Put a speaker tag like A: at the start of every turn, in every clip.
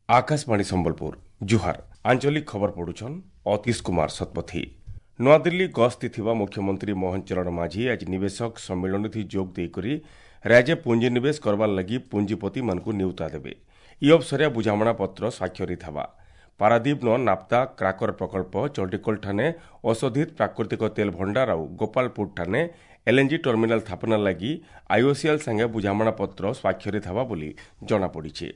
A: ଆକାଶବାଣୀ ସମ୍ବଲପୁର, ଜୁହାର। ଆଞ୍ଚଳିକ ଖବର ପଢୁଛନ୍ ଅତୀଶ କୁମାର ଶତପଥୀ। ନୂଆଦିଲ୍ଲୀ ଗସ୍ତି ଥିବା ମୁଖ୍ୟମନ୍ତ୍ରୀ ମୋହନ ଚରଣ ମାଝୀ ଆଜି ନିବେଶକ ସମ୍ମିଳନୀ ଯୋଗ ଦେଇକରି ରାଜ୍ୟ ପୁଞ୍ଜିନିବେଶ କରବାର୍ ଲାଗି ପୁଞ୍ଜିପତିମାନଙ୍କୁ ନିଉତା ଦେବେ। ଇ ଅବସରେ ବୁଝାମଣା ପତ୍ର ସ୍ୱାକ୍ଷରିତ ହେବା। ପାରାଦୀପନ ନାପ୍ତା କ୍ରାକର ପ୍ରକଳ୍ପ, ଚଣ୍ଡିଖୋଲଠାନେ ଅଶୋଧିତ ପ୍ରାକୃତିକ ତେଲ ଭଣ୍ଡାର ଆଉ ଗୋପାଳପୁରଠାନେ ଏଲ୍ଏନ୍ଜି ଟର୍ମିନାଲ ସ୍ଥାପନା ଲାଗି ଆଇଓସିଏଲ୍ ସାଙ୍ଗେ ବୁଝାମଣା ପତ୍ର ସ୍ୱାକ୍ଷରିତ ହେବା ବୋଲି ଜଣାପଡ଼ିଛି।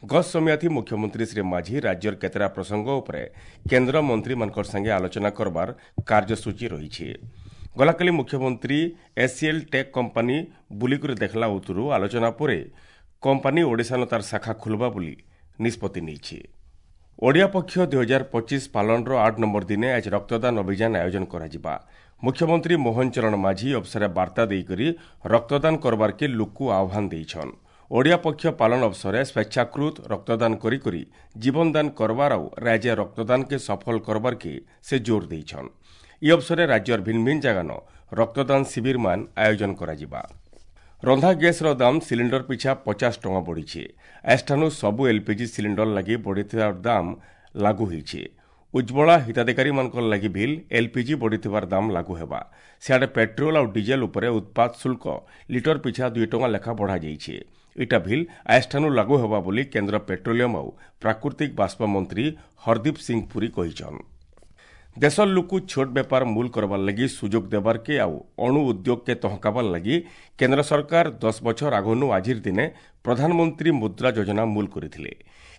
A: ଗତ ସମୟାଥି ମୁଖ୍ୟମନ୍ତ୍ରୀ ଶ୍ରୀ ମାଝୀ ରାଜ୍ୟର କେତେଟା ପ୍ରସଙ୍ଗ ଉପରେ କେନ୍ଦ୍ର ମନ୍ତ୍ରୀମାନଙ୍କର ସାଙ୍ଗେ ଆଲୋଚନା କରବାର କାର୍ଯ୍ୟସୂଚୀ ରହିଛି। ଗଲାକାଲି ମୁଖ୍ୟମନ୍ତ୍ରୀ ଏସ୍ସିଏଲ୍ ଟେକ୍ କମ୍ପାନୀ ବୁଲିକରି ଦେଖିଲା ଉତ୍ତରୁ ଆଲୋଚନା ପରେ କମ୍ପାନୀ ଓଡ଼ିଶାନ ତାର ଶାଖା ଖୋଲବା ବୋଲି ନିଷ୍ପତ୍ତି ନେଇଛି। ଓଡ଼ିଆ ପକ୍ଷ 2025 ପାଳନର 8 ନମ୍ବର ଦିନେ ଆଜି ରକ୍ତଦାନ ଅଭିଯାନ ଆୟୋଜନ କରାଯିବା। ମୁଖ୍ୟମନ୍ତ୍ରୀ ମୋହନ ଚରଣ ମାଝୀ ଅବସରେ ବାର୍ତ୍ତା ଦେଇକରି ରକ୍ତଦାନ କରବାର୍କେ ଲୋକକୁ ଆହ୍ୱାନ ଦେଇଛନ୍। ଓଡ଼ିଆ ପକ୍ଷ ପାଳନ ଅବସରେ ସ୍ୱେଚ୍ଛାକୃତ ରକ୍ତଦାନ କରି କରି ଜୀବନଦାନ କରବାର ଆଉ ରାଜ୍ୟ ରକ୍ତଦାନକେ ସଫଳ କରବାର୍କେ ସେ ଜୋର ଦେଇଛନ୍। ଇ ଅବସରେ ରାଜ୍ୟର ଭିନ୍ନ ଭିନ୍ନ ଜାଗାନ ରକ୍ତଦାନ ଶିବିରମାନ ଆୟୋଜନ କରାଯିବା। ରନ୍ଧା ଗ୍ୟାସ୍ର ଦାମ ସିଲିଣ୍ଡର ପିଛା 50 ଟଙ୍କା ବଢ଼ିଛି। ଏଠାନୁ ସବୁ ଏଲ୍ପିଜି ସିଲିଣ୍ଡର ଲାଗି ବଢ଼ିଥିବା ଦାମ ଲାଗୁ ହୋଇଛି। ଉଜ୍ଜ୍ୱଳା ହିତାଧିକାରୀମାନଙ୍କର ଲାଗି ଭିଲ୍ ଏଲ୍ପିଜି ବଢ଼ିଥିବାର ଦାମ ଲାଗୁ ହେବା। ସିଆଡ଼େ ପେଟ୍ରୋଲ ଆଉ ଡିଜେଲ ଉପରେ ଉତ୍ପାଦ ଶୁଳ୍କ ଲିଟର ପିଛା 2 ଟଙ୍କା ଲେଖା ବଢ଼ାଯାଇଛି। ଇଟା ଭିଲ୍ ଆଏଠାନୁ ଲାଗୁ ହେବା ବୋଲି କେନ୍ଦ୍ର ପେଟ୍ରୋଲିୟମ ଆଉ ପ୍ରାକୃତିକ ବାଷ୍ପ ମନ୍ତ୍ରୀ ହରଦୀପ ସିଂ ପୁରୀ କହିଛନ୍। ଦେଶର ଲୋକକୁ ଛୋଟ ବେପାର ମୂଲ କରବାର୍ ଲାଗି ସୁଯୋଗ ଦେବାର୍କେ ଆଉ ଅଣୁ ଉଦ୍ୟୋଗକେ ତହକାବାର୍ ଲାଗି କେନ୍ଦ୍ର ସରକାର 10 ବଛର ଆଗନୁ ଆଜିର ଦିନେ ପ୍ରଧାନମନ୍ତ୍ରୀ ମୁଦ୍ରା ଯୋଜନା ମୂଲ କରିଥିଲେ।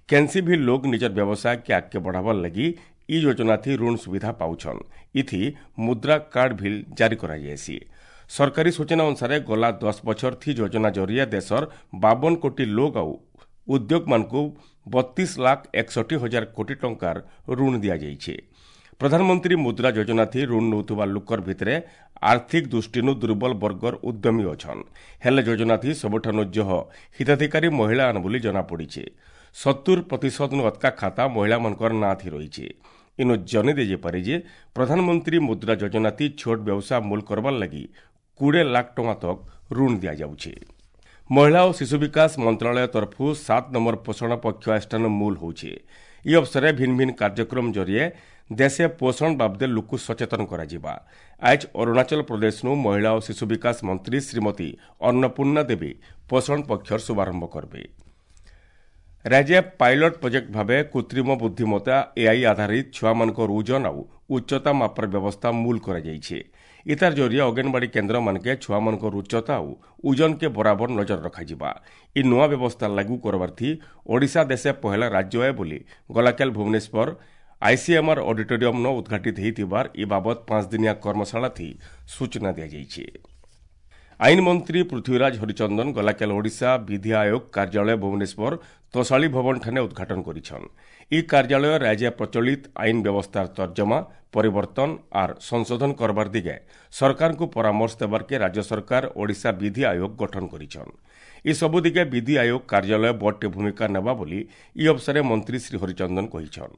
A: କେନ୍ସି ବି ଲୋକ ନିଜର ବ୍ୟବସାୟକେ ଆଗକେ ବଢ଼ାବାର୍ ଲାଗି ଇ ଯୋଜନାଥି ଋଣ ସୁବିଧା ପାଉଛନ୍। ଇଥି ମୁଦ୍ରା କାର୍ଡ ଭିଲ୍ ଜାରି କରାଯାଇସି। ସରକାରୀ ସୂଚନା ଅନୁସାରେ ଗଲା 10 ବଛର ଥି ଯୋଜନା ଜରିଆ ଦେଶର 52 କୋଟି ଲୋକ ଆଉ ଉଦ୍ୟୋଗମାନଙ୍କୁ 32,61,000 କୋଟି ଟଙ୍କାର ଋଣ ଦିଆଯାଇଛି। ପ୍ରଧାନମନ୍ତ୍ରୀ ମୁଦ୍ରା ଯୋଜନାଥି ଋଣ ନେଉଥିବା ଲୋକର ଭିତରେ ଆର୍ଥିକ ଦୃଷ୍ଟିନୁ ଦୁର୍ବଳ ବର୍ଗର ଉଦ୍ୟମୀ ଅଛନ୍। ହେଲେ ଯୋଜନାଥି ସବୁଠାନୁ ଜହ ହିତାଧିକାରୀ ମହିଳା ବୋଲି ଜଣାପଡ଼ିଛି। 70% ନୁ ଅତକା ଖାତା ମହିଳାମାନଙ୍କର ନାଁ ଥି ରହିଛି। ଇନୁ ଜନି ଦେଇପାରେ ଯେ ପ୍ରଧାନମନ୍ତ୍ରୀ ମୁଦ୍ରା ଯୋଜନାଥି ଛୋଟ ବ୍ୟବସାୟ ମୂଲ କରବାର୍ ଲାଗି 20 ଲାଖ ଟଙ୍କା ତକ ଋଣ ଦିଆଯାଉଛି। ମହିଳା ଓ ଶିଶୁ ବିକାଶ ମନ୍ତ୍ରଣାଳୟ ତରଫରୁ 7 ନମ୍ବର ପୋଷଣ ପକ୍ଷ ଆଷ୍ଠାନ ମୂଲ ହେଉଛି। ଇ ଅବସରେ ଭିନ୍ନ ଭିନ୍ନ କାର୍ଯ୍ୟକ୍ରମ ଜରିଏ ଦେଶେ ପୋଷଣ ବାବଦେ ଲୋକକୁ ସଚେତନ କରାଯିବା। ଆଜ ଅରୁଣାଚଳ ପ୍ରଦେଶନୁ ମହିଳା ଓ ଶିଶୁ ବିକାଶ ମନ୍ତ୍ରୀ ଶ୍ରୀମତୀ ଅନ୍ନପୂର୍ଣ୍ଣା ଦେବୀ ପୋଷଣ ପକ୍ଷର ଶୁଭାରମ୍ଭ କରିବେ। ରାଜ୍ୟ ପାଇଲଟ ପ୍ରୋଜେକ୍ଟ ଭାବେ କୃତ୍ରିମ ବୁଦ୍ଧିମତ୍ତା ଏଆଇ ଆଧାରିତ ଛୁଆମାନଙ୍କର ଓଜନ ଆଉ ଉଚ୍ଚତା ମାପର ବ୍ୟବସ୍ଥା ମୂଲ କରାଯାଇଛି। ଇତାର ଜରିଏ ଅଙ୍ଗନବାଡ଼ି କେନ୍ଦ୍ରମାନକେ ଛୁଆମାନଙ୍କର ଉଚ୍ଚତା ଆଉ ଓଜନକେ ବରାବର ନଜର ରଖାଯିବା। ଇ ନୂଆ ବ୍ୟବସ୍ଥା ଲାଗୁ କରବାର୍ଥି ଓଡ଼ିଶା ଦେଶେ ପହେଲା ରାଜ୍ୟ ଏ ବୋଲି ଗଲାକାଲ ଭୁବନେଶ୍ୱର ଆଇସିଏମ୍ଆର୍ ଅଡିଟୋରିୟମ୍ନ ଉଦ୍ଘାଟିତ ହୋଇଥିବାର ଇ ବାବଦ 5 ଦିନିଆ କର୍ମଶାଳାଥି ସୂଚନା ଦିଆଯାଇଛି। ଆଇନ ମନ୍ତ୍ରୀ ପୃଥ୍ୱୀରାଜ ହରିଚନ୍ଦନ ଗଲାକାଲ ଓଡ଼ିଶା ବିଧି ଆୟୋଗ କାର୍ଯ୍ୟାଳୟ ଭୁବନେଶ୍ୱର ତୋଷାଳୀ ଭବନଠାନେ ଉଦ୍ଘାଟନ କରିଛନ୍। ଇ କାର୍ଯ୍ୟାଳୟ ରାଜ୍ୟ ପ୍ରଚଳିତ ଆଇନ ବ୍ୟବସ୍ଥାର ତର୍ଜମା, ପରିବର୍ତ୍ତନ ଆର୍ ସଂଶୋଧନ କରବାର ଦିଗେ ସରକାରଙ୍କୁ ପରାମର୍ଶ ଦେବାର୍କେ ରାଜ୍ୟ ସରକାର ଓଡ଼ିଶା ବିଧି ଆୟୋଗ ଗଠନ କରିଛନ୍। ଏସବୁ ଦିଗେ ବିଧି ଆୟୋଗ କାର୍ଯ୍ୟାଳୟ ବଡ଼ଟେ ଭୂମିକା ନେବା ବୋଲି ଇ ଅବସରେ ମନ୍ତ୍ରୀ ଶ୍ରୀ ହରିଚନ୍ଦନ କହିଛନ୍।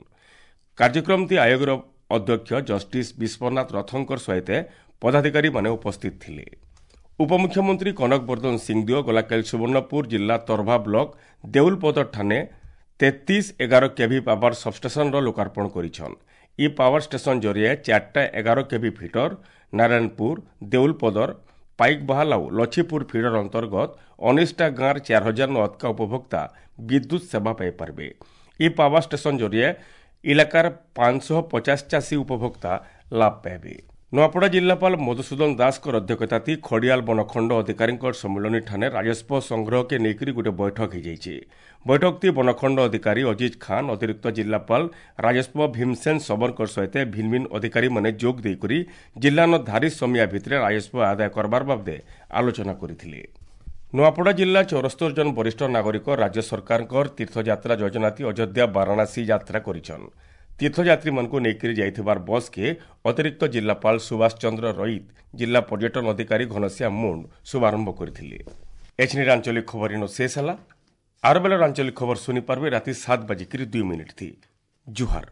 A: କାର୍ଯ୍ୟକ୍ରମଟି ଆୟୋଗର ଅଧ୍ୟକ୍ଷ ଜଷ୍ଟିସ୍ ବିଶ୍ୱନାଥ ରଥଙ୍କର ସହିତ ପଦାଧିକାରୀମାନେ ଉପସ୍ଥିତ ଥିଲେ। ଉପମୁଖ୍ୟମନ୍ତ୍ରୀ କନକ ବର୍ଦ୍ଧନ ସିଂଦେଓ ଗଲାକାଲି ସୁବର୍ଣ୍ଣପୁର ଜିଲ୍ଲା ତରଭା ବ୍ଲକ ଦେଉଲପଦର ଠାନେ 3311 କେଭି ପାୱାର ସବଷ୍ଟେସନର ଲୋକାର୍ପଣ କରିଛନ୍। ଇ ପାୱାର ଷ୍ଟେସନ ଜରିଏ 4ଟା 11 କେଭି ଫିଟର ନାରାୟଣପୁର, ଦେଉଲପଦର, ପାଇକବାହାଲ ଆଉ ଲଛିପୁର ଫିଡର ଅନ୍ତର୍ଗତ 19ଟା ଗାଁର 4000 ନୁ ଅତକା ଉପଭୋକ୍ତା ବିଦ୍ୟୁତ ସେବା ପାଇପାରିବେ। ଇ ପାୱାର ଷ୍ଟେସନ ଜରିଏ ଇଲାକାର 550 ଚାଷୀ ଉପଭୋକ୍ତା ଲାଭ ପାଇବେ। ନୂଆପଡ଼ା ଜିଲ୍ଲାପାଳ ମଧୁସୂଦନ ଦାସଙ୍କର ଅଧ୍ୟକ୍ଷତାତି ଖଡ଼ିଆଲ ବନଖଣ୍ଡ ଅଧିକାରୀଙ୍କ ସମ୍ମିଳନୀଠାନେ ରାଜସ୍ୱ ସଂଗ୍ରହକେ ନେଇକରି ଗୋଟେ ବୈଠକ ହୋଇଯାଇଛି। ବୈଠକଟି ବନଖଣ୍ଡ ଅଧିକାରୀ ଅଜିତ ଖାନ୍, ଅତିରିକ୍ତ ଜିଲ୍ଲାପାଳ ରାଜସ୍ୱ ଭୀମସେନ ଶବରଙ୍କ ସହିତ ଭିନ୍ନ ଭିନ୍ନ ଅଧିକାରୀମାନେ ଯୋଗ ଦେଇକରି ଜିଲ୍ଲାନ ଧାରି ସମିଆ ଭିତରେ ରାଜସ୍ୱ ଆଦାୟ କରବାର ବାବଦେ ଆଲୋଚନା କରିଥିଲେ। ନୂଆପଡ଼ା ଜିଲ୍ଲା 74 ଜଣ ବରିଷ୍ଠ ନାଗରିକ ରାଜ୍ୟ ସରକାରଙ୍କର ତୀର୍ଥଯାତ୍ରା ଯୋଜନାତି ଅଯୋଧ୍ୟା ବାରାଣାସୀ ଯାତ୍ରା କରିଛନ୍। ତୀର୍ଥଯାତ୍ରୀମାନଙ୍କୁ ନେଇକରି ଯାଇଥିବାର ବସ୍କେ ଅତିରିକ୍ତ ଜିଲ୍ଲାପାଳ ସୁଭାଷ ଚନ୍ଦ୍ର ରଇତ, ଜିଲ୍ଲା ପର୍ଯ୍ୟଟନ ଅଧିକାରୀ ଘନଶ୍ୟାମ ମୁଣ୍ଡ ଶୁଭାରମ୍ଭ କରିଥିଲେ। ଏଛିନିର ଆଞ୍ଚଳିକ ଖବର ଇନ ଶେଷ ହେଲା। ଆର ବେଲାର ଆଞ୍ଚଳିକ ଖବର ଶୁଣିପାରିବେ ରାତି 7:02 ଥି। ଜୁହାର।